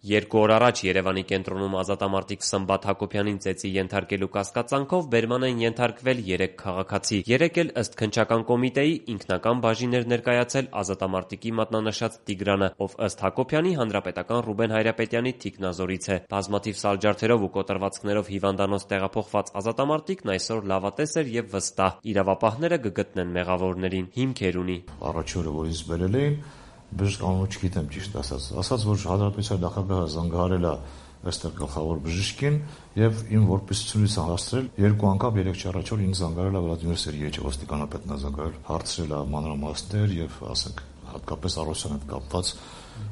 2 օր առաջ Երևանի կենտրոնում ազատամարտիկ Սմբատ Հակոբյանին ծեծի ենթարկելու կասկածանքով բերման են ենթարկվել 3 քաղաքացի։ 3 էլ ըստ քննչական կոմիտեի ինքնական բաժին էր ներկայացել ազատամարտիկի մատնանշած Տիգրանը, ով ըստ Հակոբյանի հանրապետական Ռուբեն Հայրապետյանի թիկնազորից է։ Բազմաթիվ սալջարդերով ու կոտրվածքներով հիվանդանոց տեղափոխված ազատամարտիկն այսօր լավատես էր եւ վստահ։ Իրավապահները կգտնեն մեղավորներին, հիմքեր ունի։ Առաջ օրը, որ ինձ բերել էին, բժիշկ անունը չգիտեմ ճիշտ ասած, որ հանրապետության նախագահը զանգահարել է այստեղ գլխավոր բժիշկին եւ իմ որպեսությունից հասցրել 2 անգամ 3 առաջ օր ինձ զանգահարել է Վլադիմիր Սերգեյեvichը, ոստիկանապետն է զանգահարել, հարցրել է մանրամասներ եւ ասենք հատկապես Արոսյանի հետ կապված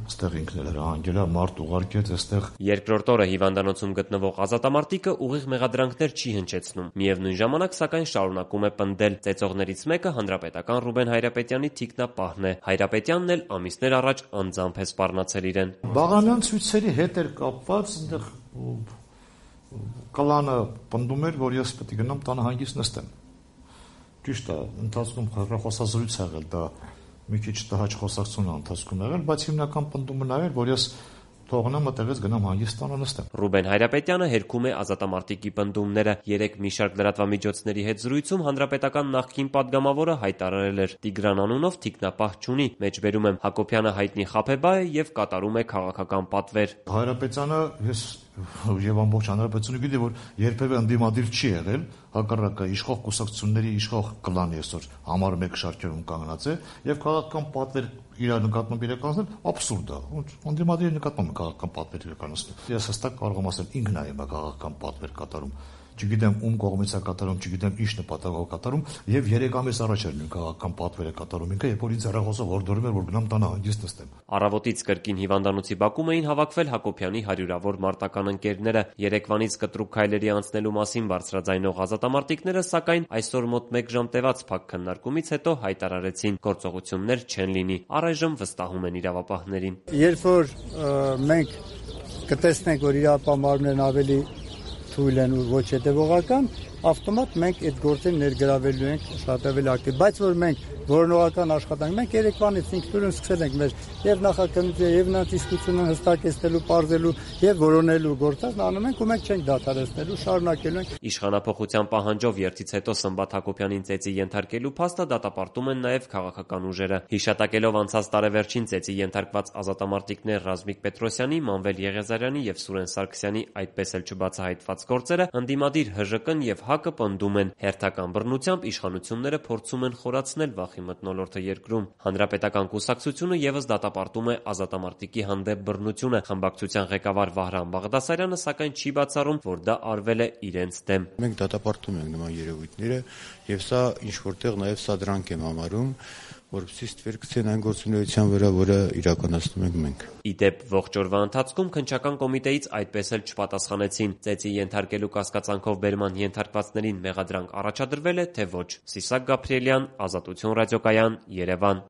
այստեղ ինքն էլ հրահանգել է մարդ ուղարկեց այստեղ։ Երկրորդ օրը հիվանդանոցում գտնվող ազատամարտիկը ուղիղ մեղադրանքներ չի հնչեցնում։ Միևնույն ժամանակ, սակայն, շարունակում է պնդել։ Ծեծողներից մեկը հանրապետական Ռուբեն Հայրապետյանի թիկնապահն է։ Հայրապետյանն էլ ամիսներ առաջ անձամբ է սպառնացել իրեն։ Բաղանյան ցույցերի հետ էր կապված, այնտեղ կլանը պնդում էր, որ ես պետք է գնամ տանը հանգիստ նստեմ։ Ճիշտ է, ընթացքում հեռախոսազրույց ա եղել, դա մի քիչ տհաճ խոսակցություն է ընթացքում եղել, բայց հիմնական պնդումը նա էր, որ ես թողնեմ այդտեղից գնամ հանգիստ տանը նստեմ։ Ռուբեն Հայրապետյանը հերքում է ազատամարտիկի պնդումները։ 3 մի շարք լրատվամիջոցների հետ զրույցում հանրապետական նախկին падգամավորը հայտարարել էր. Տիգրան անունով թիկնապահ չունի, մեջբերում եմ Հակոբյանը հայտնի խաբեբա է եւ կատարում է քաղաքական պատվեր։ Հայրապետյանը ես եւ ամբողջ հանրապետությունը գիտի, որ երբևէ ընդդիմադիր չի եղել, հակառակը իշխող կուսակցությունների իշխող կլանի այսօր համար 1 շարքերում կանգնած է եւ քաղաքական պատվեր իր նկատմամբ իրականացնել աբսուրդ է։ Ընդդիմադիրի նկատմամբ քաղաքական պատվեր իրականացնել։ Ես հստակ կարող եմ ասել ինքն է հիմա քաղաքական պատվեր կատարում։ Չգիտեմ ում կողմից է կատարում, չգիտեմ ինչ նպատակով կատարում եւ 3 ամիս առաջ էր նույն քաղաքական պատվերը կատարում ինքը, երբ որ ինձ հեռախոսով հորդորում էր, որ գնամ տանը հանգիստ նստեմ։ Առավոտից կրկին հիվանդանոցի բակում էին հավաքվել Հակոբյանի հարյուրավոր մարտական ընկերները։ Երեկվանից կտրուկ քայլերի անցնելու մասին բարձրաձայնող ազատամարտիկները, սակայն այսօր մոտ 1 ժամ տևած փակ քննարկումից հետո հայտարարեցին գործողություններ չեն լինի։ Առայժմ վստահում են իրավապահներին։ Երբ որ մենք կտեսնենք, որ իրավապահներն ավելի թույլ են ու ոչ հետևողական, ավտոմատ մենք այդ գործին ներգրավելու ենք շատ ավելի ակտիվ, բայց որ մենք որոնողական աշխատանք մենք երեկվանից ինքնուրույն սկսել ենք մեր եւ նախաքննությունը եւ նատիստությունը հստակեցնելու, պարզելու եւ որոնելու գործածն անում ենք ու մենք չենք դադարեցնելու, շարունակելու ենք։ Իշխանափոխության պահանջով երթից հետո Սմբատ Հակոբյանին ծեծի ենթարկելու փաստը դատապարտում են նաեւ քաղաքական ուժերը։ Հիշատակելով անցած տարեվերջին ծեծի ենթարկված ազատամարտիկներ Ռազմիկ Պետրոսյանի, Մանվել Եղիազարյանի եւ Սուրեն Սարգսյանի այդպես էլ չբացահայտված գործերը, ընդդիմադիր ՀԺԿ-ն եւ ՀԱԿ-ը պնդում են, հերթական բռնությամբ իշխանությունները փորձում են խորացնել վախի մթնոլորտը երկրում։ Հանրապետական կուսակցությունը եւս դատապարտում է ազատամարտիկի հանդեպ բռնությունը։ Խմբակցության ղեկավար Վահրամ Բաղդասարյանը սակայն չի բացառում, որ դա արվել է իրենց դեմ։ Մենք դատապարտում ենք նման երևույթները եւ սա ինչ որտեղ նաեւ սադրանք եմ համարում, որովհետեւ ստվեր գցեն այն գործունեության վրա, որը իրականացնում ենք մենք։ Իդեպ ողջ օրվա ընթացքում քննչական կոմիտեից այդպես էլ չպատասխանեցին։ Ծեծի ենթարկելու կասկածանքով բերման ենթարկվածներին մեղադրանք առաջադրվել է, թե ոչ։ Սիսակ Գաբրիելյան, Ազատություն ռադիոկայան, Երևան։